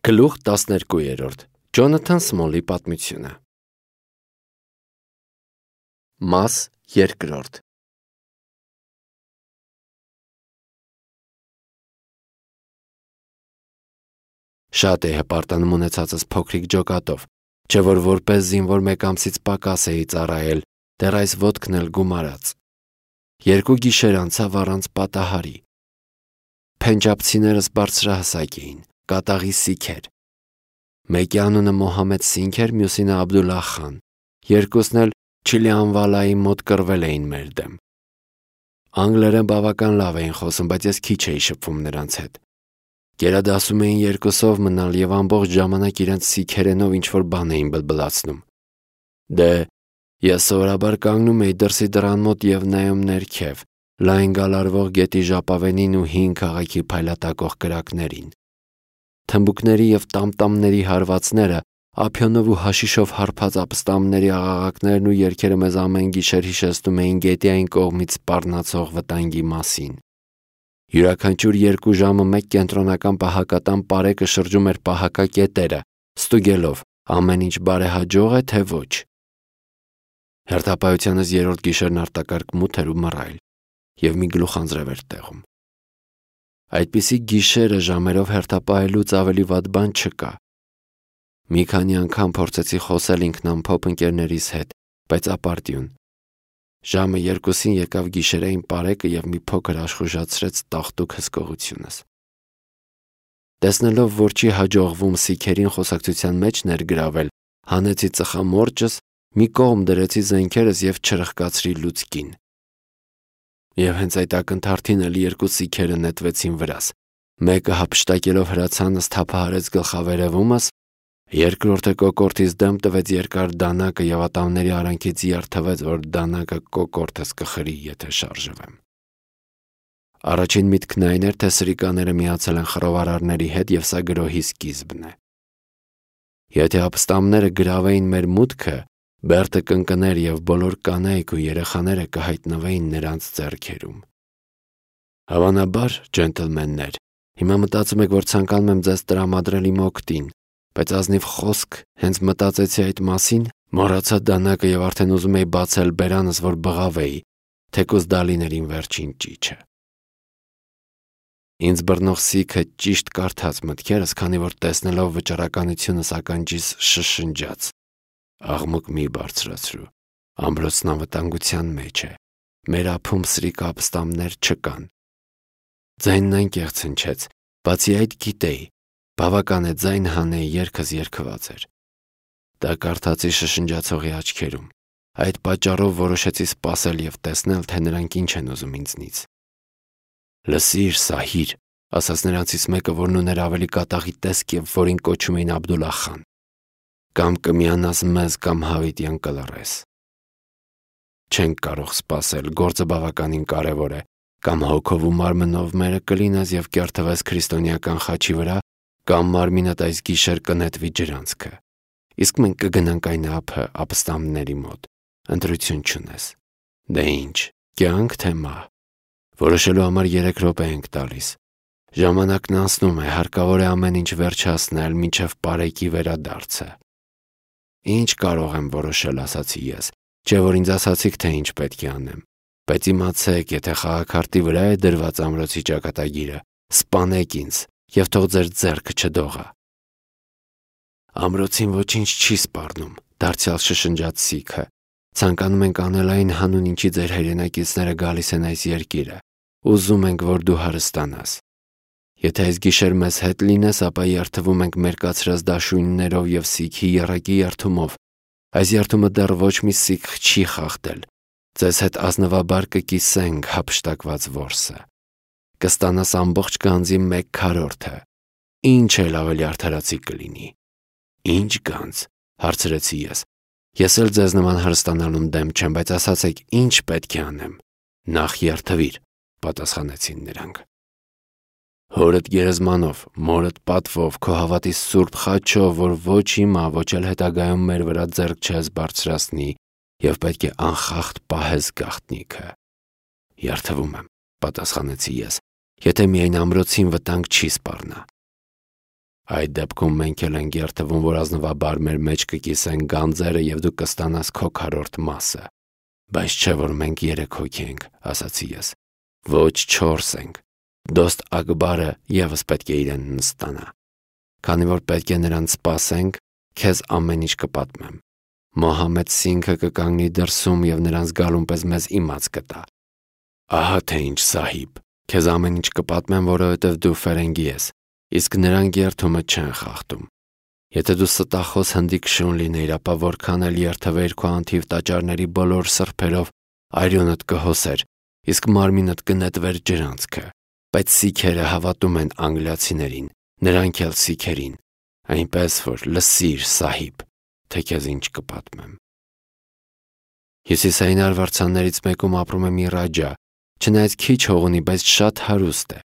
Գլուխ 12 Ջոնաթան Սմոլի պատմությունը Մաս 2 Շատ է հպարտանում ունեցածս փոքրիկ ջոկատով, չէ որ որպես զինվոր մեկ ամսից պակաս էի ծառայել, դեռ այս ոտքն էլ գումարած։ 2 գիշեր անցավ առանց պատահարի։ Փենջաբցիներս բարձրահասակ էին, կատաղի սիքեր։ Մեկի անունը Մոհամեդ Սինգ էր, մյուսինը Աբդուլլահ խան, երկուսն էլ Չիլիանվալայի մոտ կռվել էին մեր դեմ։ Անգլերեն բավական լավ էին խոսում, բայց ես քիչ էի շփվում նրանց հետ։ Գերադասում էին երկուսով մնալ և ամբողջ ժամանակ իրենց սիքերենով ինչ-որ բան էին բլբլացնում։ Դե, ես սովորաբար կանգնում էի դրսի դռան մոտ և նայում ներքև, լայն գալարվող գետի ժապավենին ու հին քաղաքի փայլատակող կրակներին։ Թմբուկների և տամտամների հարվածները, ափիոնով ու հաշիշով հարբած ապստամբների աղաղակներն ու երգերը մեզ ամեն գիշեր հիշեցնում էին գետի այն կողմից սպառնացող վտանգի մասին։ Յուրաքանչյուր 2 ժամը մեկ կենտրոնական պահակատան պարեկը շրջում էր պահակակետերը, ստուգելով ամեն ինչ բարեհաջող է, թե ոչ։ Հերթապահությանս 3-րդ գիշերն արտակարգ մութ էր ու մռայլ, և մի գլուխ անձրև էր տեղում։ Այդպիսի գիշերը ժամերով հերթապահելուց ավելի վատ բան չկա։ Մի քանի անգամ փորձեցի խոսել ինքնամփոփ ընկերներիս հետ, բայց ապարդյուն։ Ժամը 2-ին եկավ գիշերային պարեկը և մի փոքր աշխուժացրեց տաղտուկ հսկողությունս։ Տեսնելով, որ չի հաջողվում սիքերին խոսակցության մեջ ներգրավել, հանեցի ծխամորճս, մի կողմ դրեցի զենքերս և չրխկացրի լուցկին։ Եվ հենց այդ ակնթարթին էլ 2 սիքերը նետվեցին վրաս։ Մեկը հափշտակելով հրացանս թափահարեց գլխավերևումս, երկրորդը կոկորդիս դեմ տվեց երկար դանակը և ատամների արանքից երթվեց, որ դանակը կոկորդս կխրի, եթե շարժվեմ։ Առաջին միտքն այն էր, թե սրիկաները միացել են խռովարարների հետ և սա գրոհի սկիզբն է։ Եթե ապստամբները գրավեին մեր մուտքը, Բերտը կընկներ և բոլոր կանայք ու երեխաները կհայտնվեին նրանց ձեռքերում։ Հավանաբար, ջենտլմեններ, հիմա մտածում եք, որ ցանկանում եմ ձեզ տրամադրել իմ օգտին, բայց ազնիվ խոսք, հենց մտածեցի այդ մասին, մոռացա դանակը և արդեն ուզում էի բացել բերանս, որ բղավեի, թեկուզ դա լիներ իմ վերջին ճիչը։ Ինձ բռնող սիքը ճիշտ կարդաց մտքերս, քանի որ տեսնելով վճռականությունս ականջիս շշնջաց. Աղմուկ մի բարձրացրու, ամրոցն անվտանգության մեջ է, մեր ափում սրիկ ապստամբներ չկան։ Ձայնն անկեղծ հնչեց, բացի այդ գիտեի, բավական է ձայն հանեի, երգս երգված էր։ Դա կարդացի շշնջացողի աչքերում։ Այդ պատճառով որոշեցի սպասել և տեսնել, թե նրանք ինչ են ուզում ինձնից։ Լսիր, Սահիր, ասաց նրանցից մեկը, որն ուներ ավելի կատաղի տեսք և որին կոչում էին Աբդուլլահ խան։ Կամ կմիանաս մեզ, կամ հավիտյան կլռես։ Չենք կարող սպասել, գործը բավականին կարևոր է, կամ հոգով ու մարմնով մերը կլինես և կերթվես քրիստոնեական խաչի վրա, կամ մարմինդ այս գիշեր կնետվի ջրանցքը։ Իսկ մենք կգնանք այն ափը ապստամբների մոտ, ընտրություն չունես։ Դե ինչ, կյանք թե մահ։ Որոշելու համար 3 րոպե ենք տալիս։ Ժամանակն անցնում է, հարկավոր է ամեն ինչ վերջացնել, մինչև պարեկի վերադարձը։ Ինչ կարող եմ որոշել, ասացի ես, չէ որ ինձ ասացիք, թե ինչ պետք է անեմ, բայց իմացեք, եթե խաղաքարտի վրա է դրված ամրոցի ճակատագիրը, սպանեք ինձ և թող ձեր ձեռքը չդողա։ Ամրոցին ոչինչ չի սպառնում, դարձյալ շշնջաց սիքը։ Ցանկանում ենք անել այն հանուն ինչի ձեր հայրենակիցները գալիս են այս երկիրը, ուզում ենք, որ դու հարստանաս։ Եթե այս գիշեր մեզ հետ լինես, ապա երթվում ենք մերկացրած դաշույններով և սիքի եռակի երթումով։ Այս երթումը դեռ ոչ մի սիք չի խախտել։ Ձեզ հետ ազնվաբար կկիսենք հափշտակված որսը։ Կստանաս ամբողջ գանձի 1/4-ը։ Ինչ էլ ավելի արդարացի կլինի։ Ինչ գանձ, հարցրեցի ես։ Ես էլ ձեզ նման հարստանալուն դեմ չեմ, բայց ասացեք, ինչ պետք է անեմ։ Նախ երթվիր, պատասխանեցին նրանք։ Հորդ գերեզմանով, մորդ պատվով, քո հավատի սուրբ խաչով, որ ոչ հիմա, ոչ էլ հետագայում մեր վրա ձեռք չես բարձրացնի և պետք է անխախտ պահես գաղտնիքը։ Երթվում եմ, պատասխանեցի ես, եթե միայն ամրոցին վտանգ չի սպառնա։ Այդ դեպքում մենք էլ ենք երթվում, որ ազնվաբար մեր մեջ կկիսեն գանձերը և դու կստանաս քո քառորդ մասը։ Բայց չէ որ մենք 3 հոգի ենք, ասացի ես։ Ոչ 4 ենք։ Դոստ Ակբարը ևս պետք է իրեն նստանա։ Քանի որ պետք է նրան սպասենք, քեզ ամեն ինչ կպատմեմ։ Մոհամեդ Սինգը կկանգնի դրսում և նրանց գալուն պես մեզ իմաց կտա։ Ահա թե ինչ Սահիբ, քեզ ամեն ինչ կպատմեմ, որովհետև դու ֆերենգի ես, իսկ նրանք երթումը չեն խախտում։ Եթե դու ստախոս հնդիկ շուն լինեիր, ապա որքան էլ երթվեիր քո անթիվ տաճարների բոլոր սրբերով, արյունդ կհոսեր, իսկ մարմինդ կնետվեր ջրանցքը։ Բայց սիքերը հավատում են անգլիացիներին, նրանք էլ սիքերին, այնպես որ լսիր Սահիբ, թե քեզ ինչ կպատմեմ։ Հյուսիսային արվարձաններից մեկում ապրում է մի ռաջա, չնայած քիչ հող ունի, բայց շատ հարուստ է։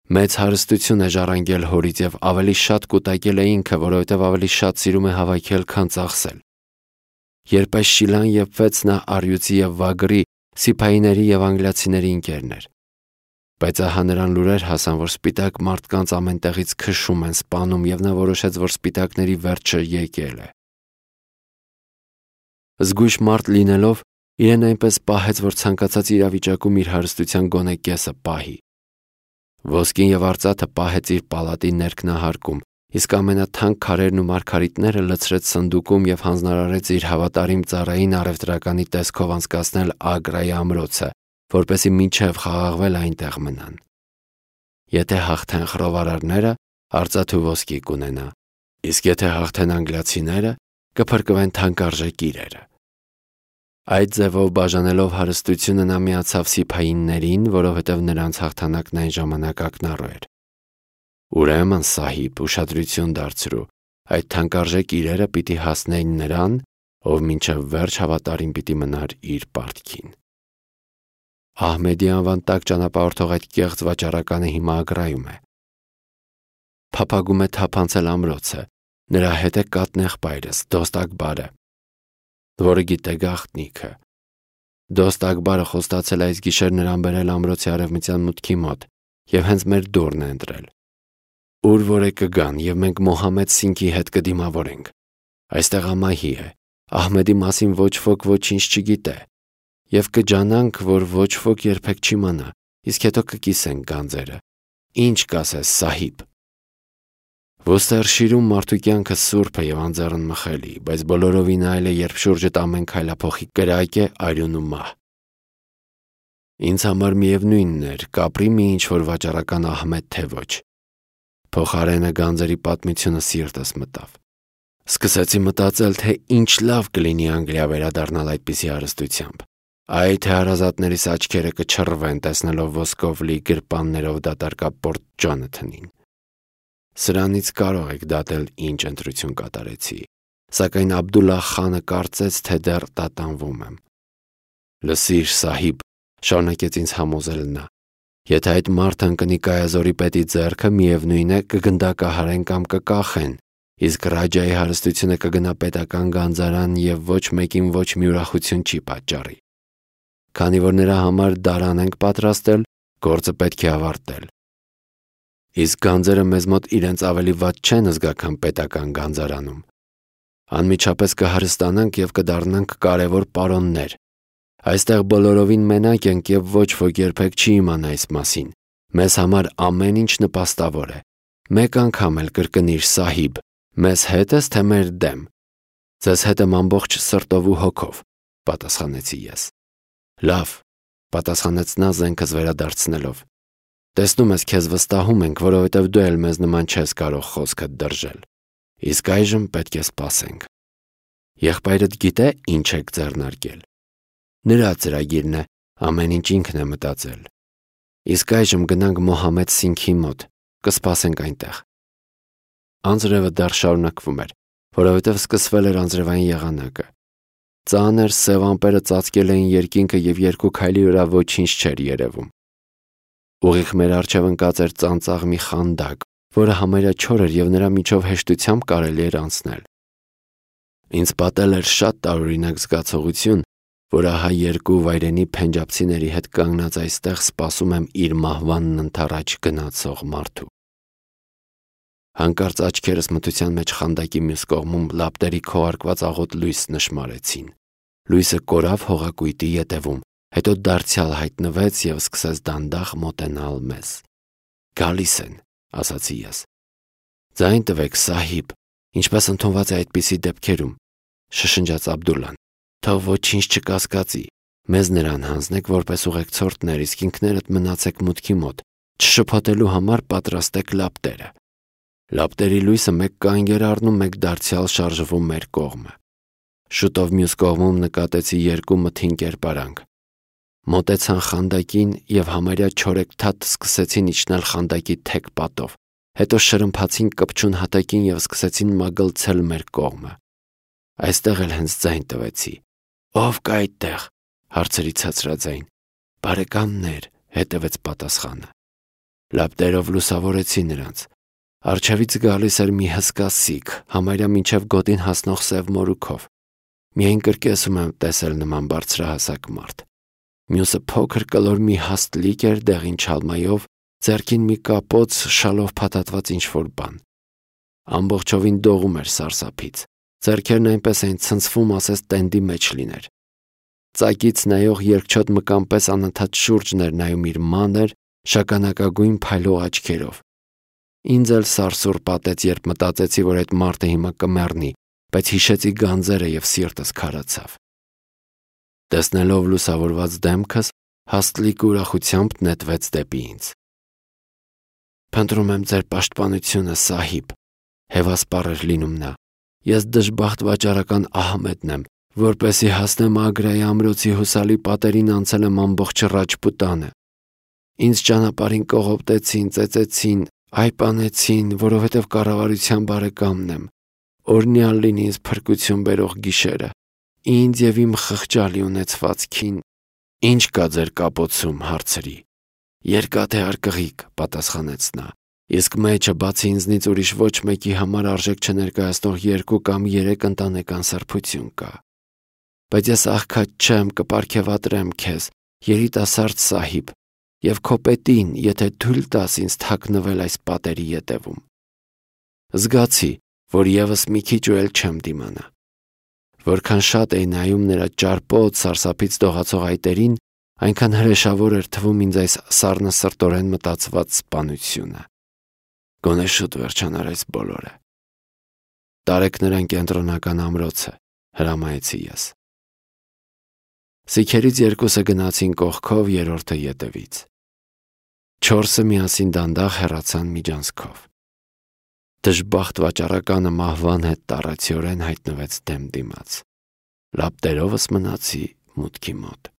Մեծ հարստություն է ժառանգել հորից և ավելի շատ կուտակել է ինքը, որովհետև ավելի շատ սիրում է հավաքել, քան ծախսել։ Երբ այս շիլան եփվեց, նա առյուծի և վագրի, սիփայիների և անգլիացիների ընկերն էր։ Բայց ահա նրան լուրեր հասան, որ սպիտակ մարդկանց ամեն տեղից քշում են, սպանում, և նա որոշեց, որ սպիտակների վերջը եկել է։ Զգույշ մարդ լինելով, իրեն այնպես պահեց, որ ցանկացած իրավիճակում իր հարստության գոնե կեսը պահի։ Ոսկին և արծաթը պահեց իր պալատի ներքնահարկում, իսկ ամենաթանկ քարերն ու մարգարիտները լցրեց սնդուկում և հանձնարարեց իր հավատարիմ ծառային առևտրականի տեսքով անցկացնել Ագրայի ամրոցը, որպեսզի մինչև խաղաղվել այնտեղ մնան։ Եթե հաղթեն խռովարարները, արծաթ ու ոսկի կունենա, իսկ եթե հաղթեն անգլիացիները, կփրկվեն թանկարժեք իրերը։ Այդ ձևով բաժանելով հարստությունը նա միացավ սիփայիններին, որովհետև նրանց հաղթանակն այն ժամանակ ակնառու էր։ Ուրեմն Սահիբ, ուշադրություն դարձրու, այդ թանկարժեք իրերը պիտի հասնեին նրան, ով մինչև վերջ հավատարիմ պիտի մնար իր պարտքին։ Ահմեդի անվան տակ ճանապարհորդող այդ կեղծ վաճառականը հիմա Ագրայում է։ Փափագում է թափանցել ամրոցը, նրա հետ է կաթնեղբայրս Դոստ Ակբարը, որը գիտե գաղտնիքը։ Դոստ Ակբարը խոստացել է այս գիշեր նրան բերել ամրոցի արևմտյան մուտքի մոտ և հենց մեր դուռն է ընտրել։ Ուր որ է կգան և մենք Մոհամեդ Սինգի հետ կդիմավորենք։ Այստեղ ամահի է, Ահմեդի մասին ոչ ոք ոչինչ չգիտե, և կջանանք, որ ոչ ոք երբեք չիմանա, իսկ հետո կկիսենք գանձերը։ Ինչ կասես Սահիբ։ Ոստերշիրում մարդու կյանքը սուրբ է և անձեռնմխելի, բայց բոլորովին այլ է, երբ շուրջդ ամեն քայլափոխի կրակ է, արյուն ու մահ։ Ինձ համար միևնույնն էր, կապրի մի ինչ-որ վաճառական Ահմեդ, թե ոչ։ Փոխարենը գանձերի պատմությունը սիրտս մտավ։ Սկսեցի մտածել, թե ինչ լավ կլինի Անգլիա վերադառնալ այդպիսի հարստությամբ։ Այ թե հարազատներիս աչքերը կչռվեն, տեսնելով ոսկով լի գրպաններով դատարկապորտ Ջոնաթանին։ Սրանից կարող եք դատել ինչ ընտրություն կատարեցի, սակայն Աբդուլլահ խանը կարծեց, թե դեռ տատանվում եմ։ Լսիր Սահիբ, շարունակեց ինձ համոզել նա, եթե այդ մարդը ընկնի Կայազորի պետի ձեռքը, միևնույն է կգնդակահարեն կամ կկախեն, իսկ Ռաջայի հարստությունը կգնա պետական գանձարան և ոչ մեկին ոչ մի ուրախություն չի պատճառի։ Քանի որ նրա համար դարան ենք պատրաստել, գործը պետք է ավարտել։ Իսկ գանձերը մեզ մոտ իրենց ավելի վատ չեն զգա, քան պետական գանձարանում։ Անմիջապես կհարստանանք և կդառնանք կարևոր պարոններ։ Այստեղ բոլորովին մենակ ենք և ոչ ոք երբեք չի իմանա այս մասին։ Մեզ համար ամեն ինչ նպաստավոր է։ Մեկ անգամ էլ կրկնիր Սահիբ, մեզ հետ ես, թե մեր դեմ։ Ձեզ հետ եմ ամբողջ սրտով ու հոգով, պատասխանեցի ես։ Լավ, պատասխանեց նա զենքս վերադարձնելով։ Տեսնում ես, քեզ վստահում ենք, որովհետև դու էլ մեզ նման չես կարող խոսքդ դրժել։ Իսկ այժմ պետք է սպասենք։ Եղբայրդ գիտե ինչ եք ձեռնարկել։ Նրա ծրագիրն է, ամեն ինչ ինքն է մտածել։ Իսկ այժմ գնանք Մոհամեդ Սինգի մոտ, կսպասենք այնտեղ։ Անձրևը դեռ շարունակվում էր, որովհետև սկսվել էր անձրևային եղանակը։ Ծանր սև ամպերը ծածկել էին երկինքը և երկու քայլի վրա ոչինչ չէր երևում։ Ուղիղ մեր առջև ընկած էր ծանծաղ մի խանդակ, որը համարյա չոր էր և նրա միջով հեշտությամբ կարելի էր անցնել։ Ինձ պատել էր շատ տարօրինակ զգացողություն, որ ահա երկու վայրենի փենջաբցիների հետ կանգնած այստեղ սպասում եմ իր մահվանն ընդառաջ գնացող մարդու։ Հանկարծ աչքերս մթության մեջ խանդակի մյուս կողմում լապտերի քողարկված աղոտ լույս նշմարեցին։ Լույսը կորավ հողակույտի ետևում, հետո դարձյալ հայտնվեց և սկսեց դանդաղ մոտենալ մեզ։ «Գալիս են», ասացի ես։ «Ձայն տվեք, Սահիբ, ինչպես ընդունված է այդպիսի դեպքերում», շշնջաց Աբդուլլան։ «Թող ոչինչ չկասկածի, մեզ նրան հանձնեք որպես ուղեկցորդներ, իսկ ինքներդ մնացեք մուտքի մոտ, չշփոթելու համար պատրաստեք լապտերը»։ Լապտերի լույսը մեկ կանգ էր առնում, մեկ դարձյալ շարժվում մեր կողմը։ Շուտով մյուս կողմում նկատեցի երկու մթին կերպարանք։ Մոտեցան խանդակին և համարյա չորեքթաթ սկսեցին իջնել խանդակի թեք պատով, հետո շրմփացին կպչուն հատակին և սկսեցին մագլցել մեր կողմը։ Այստեղ էլ հենց ձայն տվեցի։ «Ո՞վ կա այդտեղ», հարցրի ցածրաձայն։ «Բարեկամներ», հետևեց պատասխանը։ Լապտերով լուսավորեցի նրանց։ Առջևից գալիս էր մի հսկա սիկ, համարյա մինչև գոտին հասնող սև մորուքով։ Միայն կրկեսում եմ տեսել նման բարձրահասակ մարդ։ Մյուսը փոքր կլոր մի հաստլիկ էր դեղին չալմայով, ձեռքին մի կապոց շալով փաթաթված ինչ-որ բան։ Ամբողջովին դողում էր սարսափից։ Ձեռքերն այնպես էին ցնցվում, ասես տենդի մեջ լիներ։ Ծակից նայող երկչոտ մկան պես անընդհատ շուրջն էր նայում իր մանր, շագանակագույն փայլող աչքերով։ Ինձ էլ սարսուռ պատեց, երբ մտածեցի, որ այդ մարդը հիմա կմեռնի, բայց հիշեցի գանձերը և սիրտս քարացավ։ Տեսնելով լուսավորված դեմքս, հաստլիկը ուրախությամբ նետվեց դեպի ինձ։ «Փնտրում եմ ձեր պաշտպանությունը, Սահիբ», հևասպառ էր լինում նա։ «Ես դժբախտ վաճառական Ահմեդն եմ, որպեսզի հասնեմ Ագրայի ամրոցի հուսալի պատերին անցել եմ ամբողջ Ռաջպուտանը։ Ինձ ճանապարհին կողոպտեցին, ծեծեցին, այպանեցին, որովհետև կառավարության բարեկամն եմ։ Օրհնյալ լինի ինձ փրկություն բերող գիշերը, ինձ և իմ խղճալի ունեցվածքին»։ «Ինչ կա ձեր կապոցում», հարցրի։ «Երկաթե արկղիկ», պատասխանեց նա, «իսկ մեջը բացի ինձնից ուրիշ ոչ մեկի համար արժեք չներկայացնող 2 կամ 3 ընտանեկան սրբություն կա։ Բայց ես աղքատ չեմ, կպարգևատրեմ քեզ, երիտասարդ Սահիբ, և քո պետին, եթե թույլ տաս ինձ թաքնվել այս պատերի ետևում»։ Զգացի, որ ևս մի քիչ ու էլ չեմ դիմանա։ Որքան շատ էի նայում նրա ճարպոտ, սարսափից դողացող այտերին, այնքան հրեշավոր էր թվում ինձ այս սառնասրտորեն մտածված սպանությունը։ Գոնե շուտ վերջանար այս բոլորը։ «Տարեք նրան կենտրոնական ամրոցը», հրամայեցի ես։ Սիկերից 2-ը գնացին կողքով, 3-րդը ետևից։ 4-ը միասին դանդաղ հեռացան միջանցքով։ Դժբախտ վաճառականը մահվան հետ տառացիորեն հայտնվեց դեմ դիմաց։ Լապտերովս մնացի մուտքի մոտ։